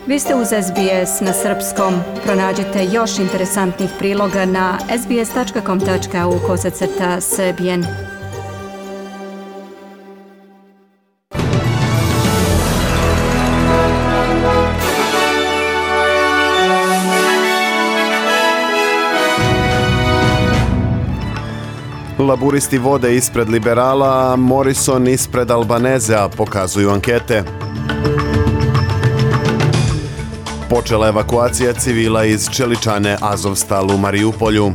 Vi ste uz SBS na srpskom. Pronađite još interesantnih priloga na sbs.com.au/srbijen. Laburisti vode ispred liberala, a Morrison ispred Albanezea, pokazuju ankete. Počela evakuacija civila iz čeličane Azovstal u Mariupolju.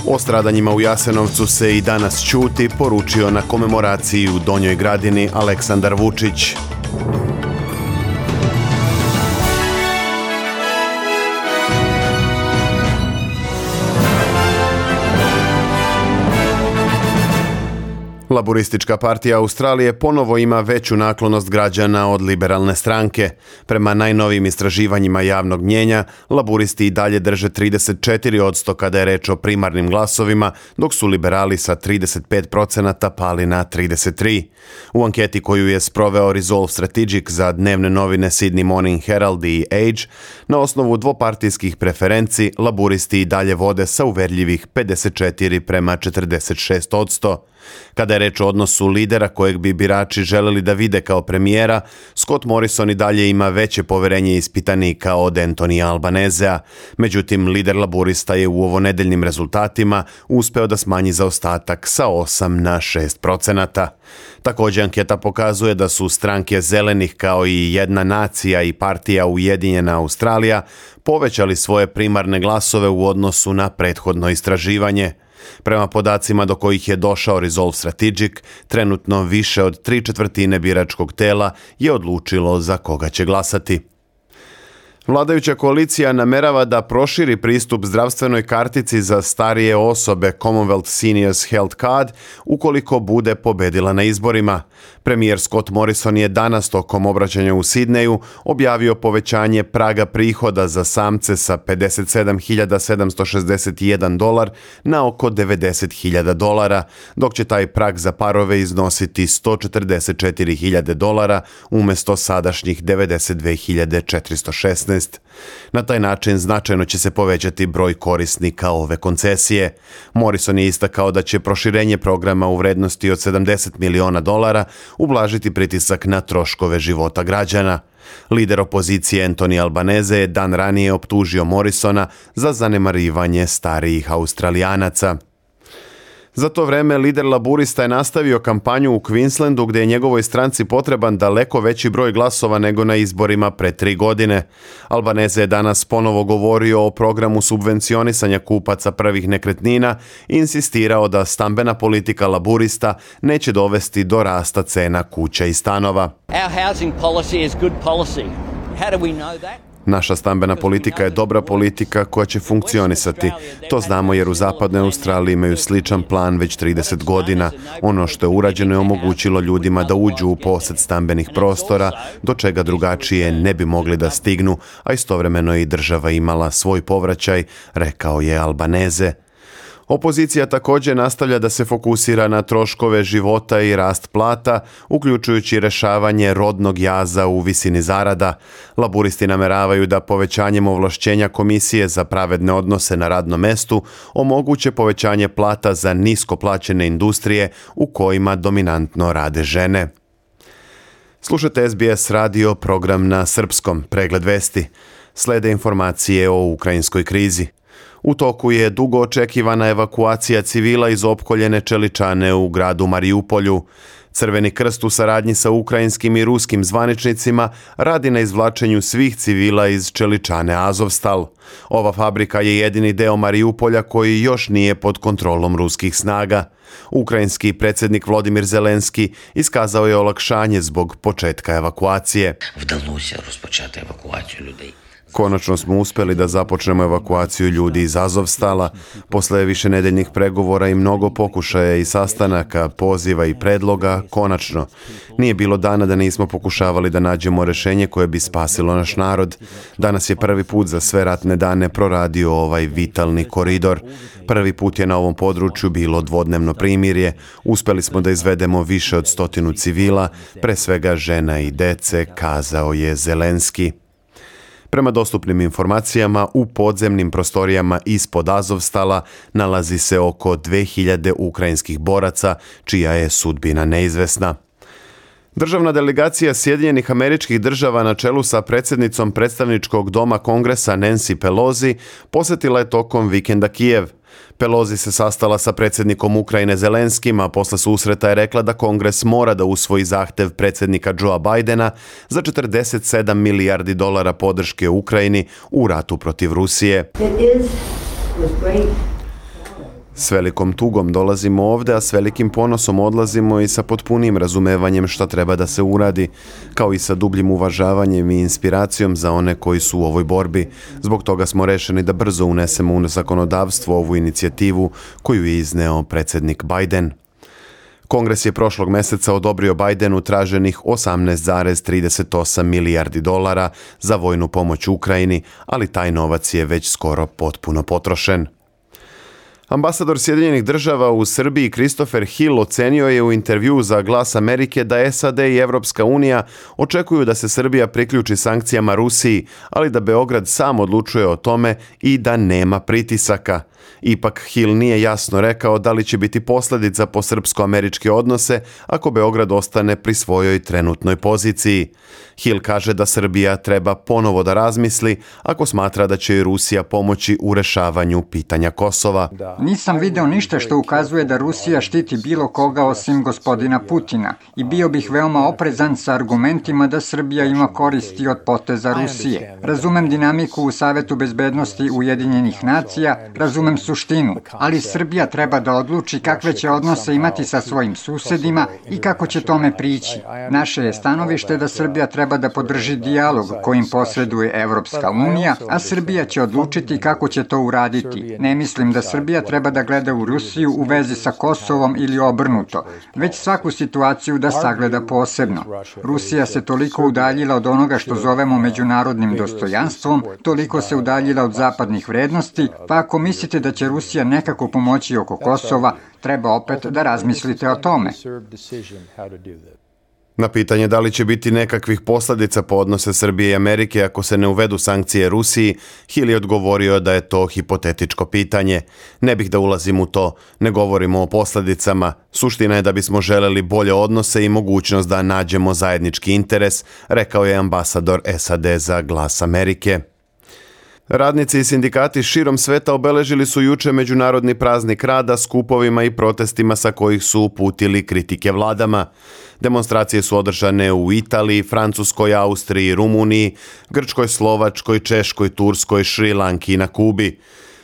O stradanjima u Jasenovcu se i danas ćuti, poručio na komemoraciji u Donjoj Gradini Aleksandar Vučić. Laburistička partija Australije ponovo ima veću naklonost građana od liberalne stranke. Prema najnovijim istraživanjima javnog mnjenja, laburisti i dalje drže 34% kada je reč o primarnim glasovima, dok su liberali sa 35% pali na 33%. U anketi koju je sproveo Resolve Strategic za dnevne novine Sydney Morning Herald i Age, na osnovu dvopartijskih preferenci, laburisti i dalje vode sa uverljivih 54:46%. Kada je reč o odnosu lidera kojeg bi birači želeli da vide kao premijera, Scott Morrison i dalje ima veće poverenje ispitanika od Antonija Albanezea. Međutim, lider laburista je u ovonedeljnim rezultatima uspeo da smanji zaostatak sa 8 na 6%. Također anketa pokazuje da su stranke zelenih kao i Jedna nacija i partija Ujedinjena Australija povećali svoje primarne glasove u odnosu na prethodno istraživanje. Prema podacima do kojih je došao Resolve Strategic, trenutno više od 3/4 biračkog tela je odlučilo za koga će glasati. Vladajuća koalicija namerava da proširi pristup zdravstvenoj kartici za starije osobe Commonwealth Seniors Health Card ukoliko bude pobedila na izborima. Premijer Scott Morrison je danas tokom obraćanja u Sidneju objavio povećanje praga prihoda za samce sa $57.761 na oko $90.000, dok će taj prag za parove iznositi $144.000 umjesto sadašnjih $92.416. Na taj način značajno će se povećati broj korisnika ove koncesije. Morrison je istakao da će proširenje programa u vrednosti od $70 miliona ublažiti pritisak na troškove života građana. Lider opozicije Anthony Albanese je dan ranije optužio Morrisona za zanemarivanje starijih Australijanaca. Za to vreme lider laburista je nastavio kampanju u Queenslandu gdje je njegovoj stranci potreban daleko veći broj glasova nego na izborima pre 3 godine. Albanese je danas ponovo govorio o programu subvencionisanja kupaca prvih nekretnina i insistirao da stambena politika laburista neće dovesti do rasta cena kuća i stanova. Our housing policy is good policy. How do we know that? Naša stambena politika je dobra politika koja će funkcionisati. To znamo jer u zapadnoj Australiji imaju sličan plan već 30 godina. Ono što je urađeno je omogućilo ljudima da uđu u posjed stambenih prostora, do čega drugačije ne bi mogli da stignu, a istovremeno i država imala svoj povraćaj, rekao je Albanese. Opozicija također nastavlja da se fokusira na troškove života i rast plata, uključujući rješavanje rodnog jaza u visini zarada. Laburisti nameravaju da povećanjem ovlašćenja Komisije za pravedne odnose na radnom mestu omoguće povećanje plata za nisko plaćene industrije u kojima dominantno rade žene. Slušate SBS radio, program na srpskom, pregled vesti. Slede informacije o ukrajinskoj krizi. U toku je dugo očekivana evakuacija civila iz opkoljene čeličane u gradu Mariupolju. Crveni krst u saradnji sa ukrajinskim i ruskim zvaničnicima radi na izvlačenju svih civila iz čeličane Azovstal. Ova fabrika je jedini deo Mariupolja koji još nije pod kontrolom ruskih snaga. Ukrajinski predsjednik Volodymyr Zelenski iskazao je olakšanje zbog početka evakuacije. Вдалося розпочати евакуацію людей. Konačno smo uspjeli da započnemo evakuaciju ljudi iz Azovstala. Posle višenedeljnih pregovora i mnogo pokušaja i sastanaka, poziva i predloga, konačno. Nije bilo dana da nismo pokušavali da nađemo rješenje koje bi spasilo naš narod. Danas je prvi put za sve ratne dane proradio ovaj vitalni koridor. Prvi put je na ovom području bilo dvodnevno primirje. Uspjeli smo da izvedemo više od 100 civila, pre svega žena i dece, kazao je Zelenski. Prema dostupnim informacijama, u podzemnim prostorijama ispod Azovstala nalazi se oko 2000 ukrajinskih boraca, čija je sudbina neizvesna. Državna delegacija Sjedinjenih Američkih Država na čelu sa predsjednicom predstavničkog doma Kongresa Nancy Pelosi posjetila je tokom vikenda Kijev. Pelosi se sastala sa predsjednikom Ukrajine Zelenskim, a posle susreta je rekla da Kongres mora da usvoji zahtev predsjednika Joea Bidena za 47 milijardi dolara podrške Ukrajini u ratu protiv Rusije. S velikom tugom dolazimo ovde, a s velikim ponosom odlazimo i sa potpunim razumevanjem šta treba da se uradi, kao i sa dubljim uvažavanjem i inspiracijom za one koji su u ovoj borbi. Zbog toga smo rešeni da brzo unesemo u zakonodavstvo ovu inicijativu koju je izneo predsjednik Biden. Kongres je prošlog meseca odobrio Bidenu traženih 18,38 milijardi dolara za vojnu pomoć Ukrajini, ali taj novac je već skoro potpuno potrošen. Ambasador Sjedinjenih Država u Srbiji Christopher Hill ocenio je u intervjuu za Glas Amerike da SAD i Evropska unija očekuju da se Srbija priključi sankcijama Rusiji, ali da Beograd sam odlučuje o tome i da nema pritisaka. Ipak Hill nije jasno rekao da li će biti posljedica po srpsko-američke odnose ako Beograd ostane pri svojoj trenutnoj poziciji. Hill kaže da Srbija treba ponovo da razmisli ako smatra da će i Rusija pomoći u rešavanju pitanja Kosova. Nisam video ništa što ukazuje da Rusija štiti bilo koga osim gospodina Putina i bio bih veoma oprezan sa argumentima da Srbija ima koristi od poteza Rusije. Razumem dinamiku u Savetu bezbednosti Ujedinjenih nacija, razumem suštinu, ali Srbija treba da odluči kakve će odnose imati sa svojim susedima i kako će tome prići. Naše je stanovište da Srbija treba da podrži dijalog kojim posreduje Evropska unija, a Srbija će odlučiti kako će to uraditi. Ne mislim da Srbija treba da gleda u Rusiju u vezi sa Kosovom ili obrnuto, već svaku situaciju da sagleda posebno. Rusija se toliko udaljila od onoga što zovemo međunarodnim dostojanstvom, toliko se udaljila od zapadnih vrednosti, pa ako mislite da će Rusija nekako pomoći oko Kosova, treba opet da razmislite o tome. Na pitanje da li će biti nekakvih posljedica po odnose Srbije i Amerike ako se ne uvedu sankcije Rusiji, Hill je odgovorio da je to hipotetičko pitanje. Ne bih da ulazim u to, ne govorimo o posljedicama. Suština je da bismo želeli bolje odnose i mogućnost da nađemo zajednički interes, rekao je ambasador SAD za Glas Amerike. Radnici i sindikati širom sveta obeležili su juče Međunarodni praznik rada skupovima i protestima sa kojih su uputili kritike vladama. Demonstracije su održane u Italiji, Francuskoj, Austriji, Rumuniji, Grčkoj, Slovačkoj, Češkoj, Turskoj, Šrilanki i na Kubi.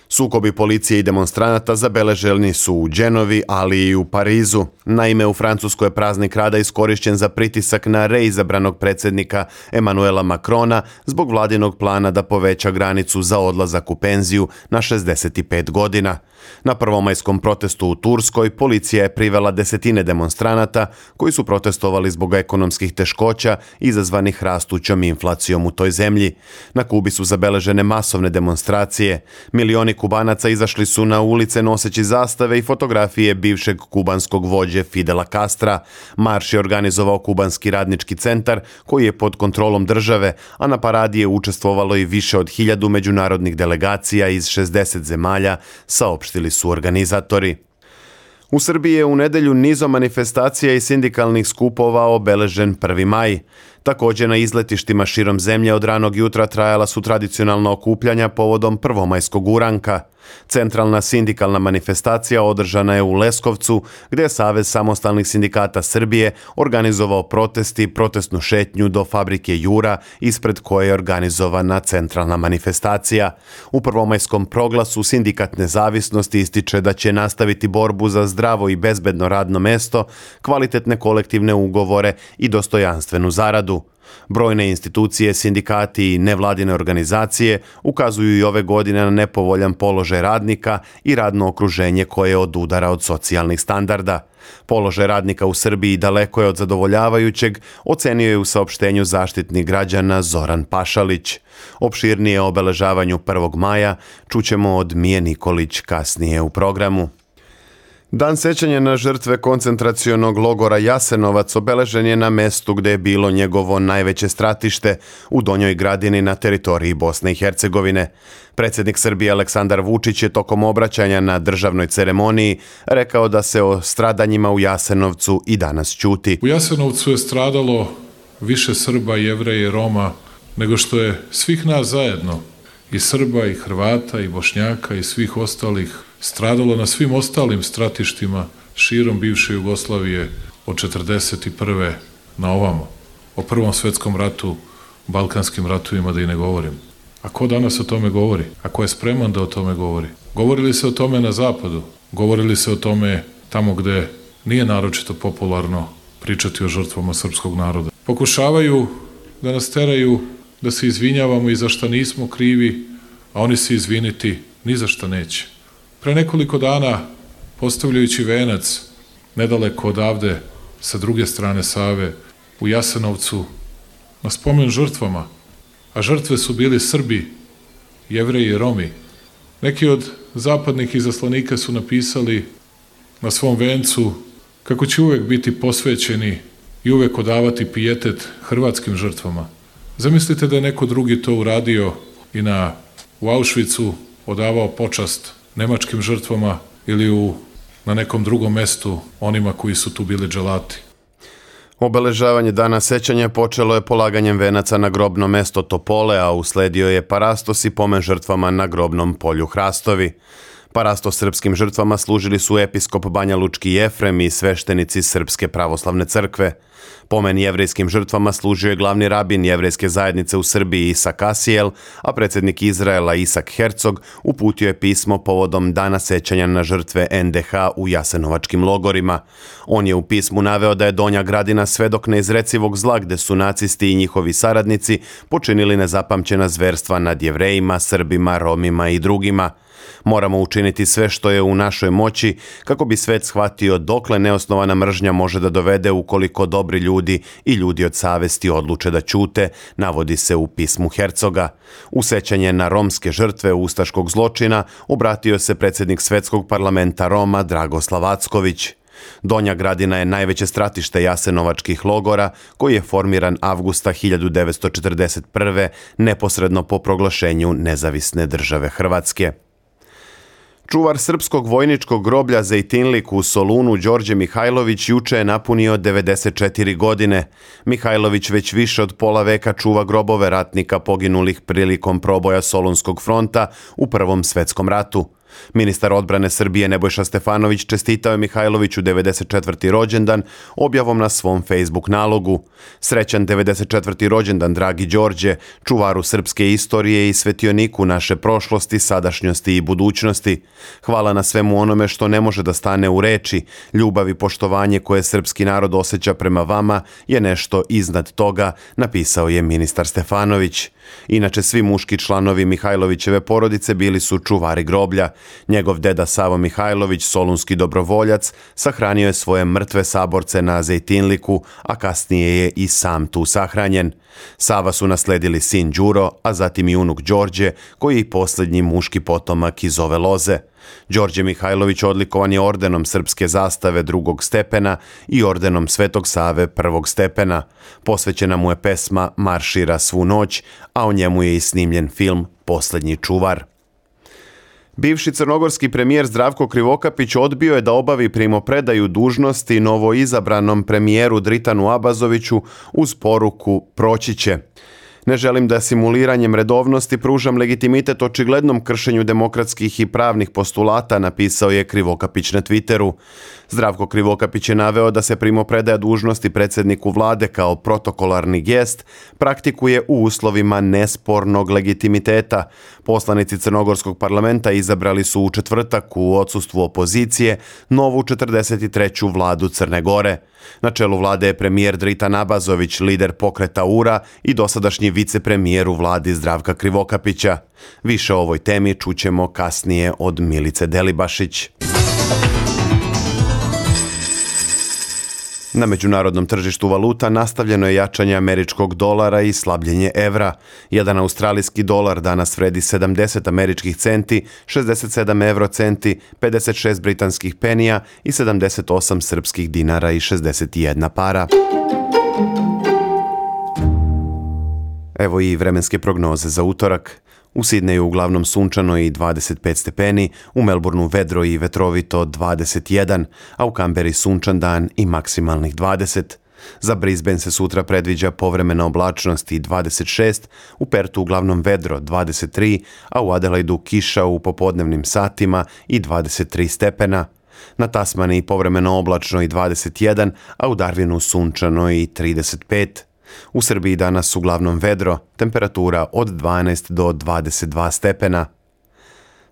Sukobi policije i demonstranata zabeleženi su u Dženovi, ali i u Parizu. Naime, u Francuskoj je praznik rada iskorišćen za pritisak na reizabranog predsjednika Emmanuela Macrona zbog vladinog plana da poveća granicu za odlazak u penziju na 65 godina. Na prvomajskom protestu u Turskoj policija je privela desetine demonstranata koji su protestovali zbog ekonomskih teškoća izazvanih rastućom inflacijom u toj zemlji. Na Kubi su zabeležene masovne demonstracije. Milioni Kubanaca izašli su na ulice noseći zastave i fotografije bivšeg kubanskog vođe Fidela Castra. Marš je organizovao Kubanski radnički centar koji je pod kontrolom države, a na paradi je učestvovalo i više od 1000 međunarodnih delegacija iz 60 zemalja, saopštili su organizatori. U Srbiji je u nedelju nizom manifestacija i sindikalnih skupova obeležen 1. maj. Također na izletištima širom zemlje od ranog jutra trajala su tradicionalna okupljanja povodom prvomajskog uranka. Centralna sindikalna manifestacija održana je u Leskovcu, gdje je Savez samostalnih sindikata Srbije organizovao protest i protestnu šetnju do fabrike Jura, ispred koje je organizovana centralna manifestacija. U prvomajskom proglasu Sindikat nezavisnosti ističe da će nastaviti borbu za zdravo i bezbedno radno mesto, kvalitetne kolektivne ugovore i dostojanstvenu zaradu. Brojne institucije, sindikati i nevladine organizacije ukazuju i ove godine na nepovoljan položaj radnika i radno okruženje koje odudara od socijalnih standarda. Položaj radnika u Srbiji daleko je od zadovoljavajućeg, ocenio je u saopštenju Zaštitnik građana Zoran Pašalić. Opširnije o obeležavanju 1. maja čućemo od Mije Nikolić kasnije u programu. Dan sećanja na žrtve koncentracionog logora Jasenovac obeležen je na mestu gde je bilo njegovo najveće stratište, u Donjoj Gradini na teritoriji Bosne i Hercegovine. Predsjednik Srbije Aleksandar Vučić je tokom obraćanja na državnoj ceremoniji rekao da se o stradanjima u Jasenovcu i danas ćuti. U Jasenovcu je stradalo više Srba, Jevreja i Roma nego što je svih nas zajedno, i Srba, i Hrvata, i Bošnjaka, i svih ostalih, stradalo na svim ostalim stratištima širom bivše Jugoslavije od 1941. na ovamo. O Prvom svetskom ratu, Balkanskim ratovima da i ne govorim. A ko danas o tome govori? A ko je spreman da o tome govori? Govorili se o tome na zapadu, govorili se o tome tamo gde nije naročito popularno pričati o žrtvama srpskog naroda. Pokušavaju da nas teraju da se izvinjavamo i za šta nismo krivi, a oni se izviniti ni za šta neće. Pre nekoliko dana, postavljajući venac nedaleko odavde, sa druge strane Save, u Jasenovcu, na spomen žrtvama, a žrtve su bili Srbi, Jevreji i Romi. Neki od zapadnih izaslanika su napisali na svom vencu kako će uvek biti posvećeni i uvek odavati pijetet hrvatskim žrtvama. Zamislite da je neko drugi to uradio i u Auschwitzu odavao počast nemačkim žrtvama ili na nekom drugom mestu onima koji su tu bili dželati. Obeležavanje dana sećanja počelo je polaganjem venaca na grobno mesto Topole, a usledio je parastos i pomen žrtvama na grobnom polju Hrastovi. Parastos srpskim žrtvama služili su episkop Banjalučki Jefrem i sveštenici Srpske pravoslavne crkve. Pomen jevrejskim žrtvama služio je glavni rabin jevrejske zajednice u Srbiji Isak Asijel, a predsjednik Izraela Isak Herzog uputio je pismo povodom dana sećanja na žrtve NDH u jasenovačkim logorima. On je u pismu naveo da je Donja Gradina svedok neizrecivog zla gde su nacisti i njihovi saradnici počinili nezapamćena zverstva nad Jevrejima, Srbima, Romima i drugima. Moramo učiniti sve što je u našoj moći kako bi svet shvatio dokle neosnovana mržnja može da dovede ukoliko dobri ljudi i ljudi od savesti odluče da ćute, navodi se u pismu Hercoga. U sećanje na romske žrtve ustaškog zločina obratio se predsjednik Svetskog parlamenta Roma Dragoslav Acković. Donja Gradina je najveće stratište jasenovačkih logora koji je formiran avgusta 1941. neposredno po proglašenju nezavisne države Hrvatske. Čuvar srpskog vojničkog groblja Zejtinlik u Solunu Đorđe Mihajlović juče je napunio 94 godine. Mihajlović već više od pola veka čuva grobove ratnika poginulih prilikom proboja Solunskog fronta u Prvom svetskom ratu. Ministar odbrane Srbije Nebojša Stefanović čestitao je Mihajloviću 94. rođendan objavom na svom Facebook nalogu. Srećan 94. rođendan, dragi Đorđe, čuvaru srpske istorije i svetioniku naše prošlosti, sadašnjosti i budućnosti. Hvala na svemu onome što ne može da stane u reči. Ljubav i poštovanje koje srpski narod osjeća prema vama je nešto iznad toga, napisao je ministar Stefanović. Inače, svi muški članovi Mihajlovićeve porodice bili su čuvari groblja. Njegov deda Savo Mihajlović, solunski dobrovoljac, sahranio je svoje mrtve saborce na Zejtinliku, a kasnije je i sam tu sahranjen. Sava su nasledili sin Đuro, a zatim i unuk Đorđe, koji je i posljednji muški potomak iz ove loze. Đorđe Mihajlović odlikovan je ordenom Srpske zastave 2. stepena i ordenom Svetog Save 1. stepena. Posvećena mu je pesma Maršira svu noć, a o njemu je i snimljen film Posljednji čuvar. Bivši crnogorski premijer Zdravko Krivokapić odbio je da obavi primopredaju dužnosti novoizabranom premijeru Dritanu Abazoviću uz poruku proći će. Ne želim da simuliranjem redovnosti pružam legitimitet očiglednom kršenju demokratskih i pravnih postulata, napisao je Krivokapić na Twitteru. Zdravko Krivokapić je naveo da se primopredaja dužnosti predsjedniku vlade kao protokolarni gest praktikuje u uslovima nespornog legitimiteta. Poslanici Crnogorskog parlamenta izabrali su u četvrtak u odsustvu opozicije novu 43. vladu Crne Gore. Na čelu vlade je premijer Dritan Abazović, lider pokreta URA i dosadašnji vicepremijer u vladi Zdravka Krivokapića. Više o ovoj temi čućemo kasnije od Milice Delibašić. Na međunarodnom tržištu valuta nastavljeno je jačanje američkog dolara i slabljenje evra. Jedan australijski dolar danas vredi 70 američkih centi, 67 eurocenti, 56 britanskih penija i 78 srpskih dinara i 61 para. Evo i vremenske prognoze za utorak. U Sidneju uglavnom sunčano i 25 stepeni, u Melbourneu vedro i vetrovito 21, a u Kamberi sunčan dan i maksimalnih 20. Za Brisbane se sutra predviđa povremena oblačnost i 26, u Pertu uglavnom vedro 23, a u Adelaidu kiša u popodnevnim satima i 23 stepena. Na Tasmaniji povremeno oblačno i 21, a u Darwinu sunčano i 35. U Srbiji danas uglavnom vedro, temperatura od 12 do 22 stepena.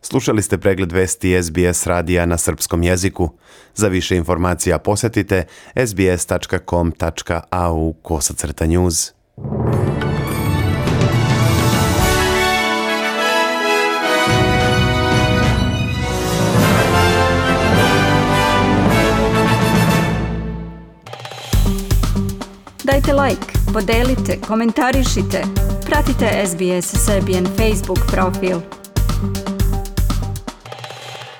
Slušali ste pregled vesti SBS radija na srpskom jeziku. Za više informacija posjetite sbs.com.au/news. Dajte like, podelite, komentarišite. Pratite SBS Serbian Facebook profil.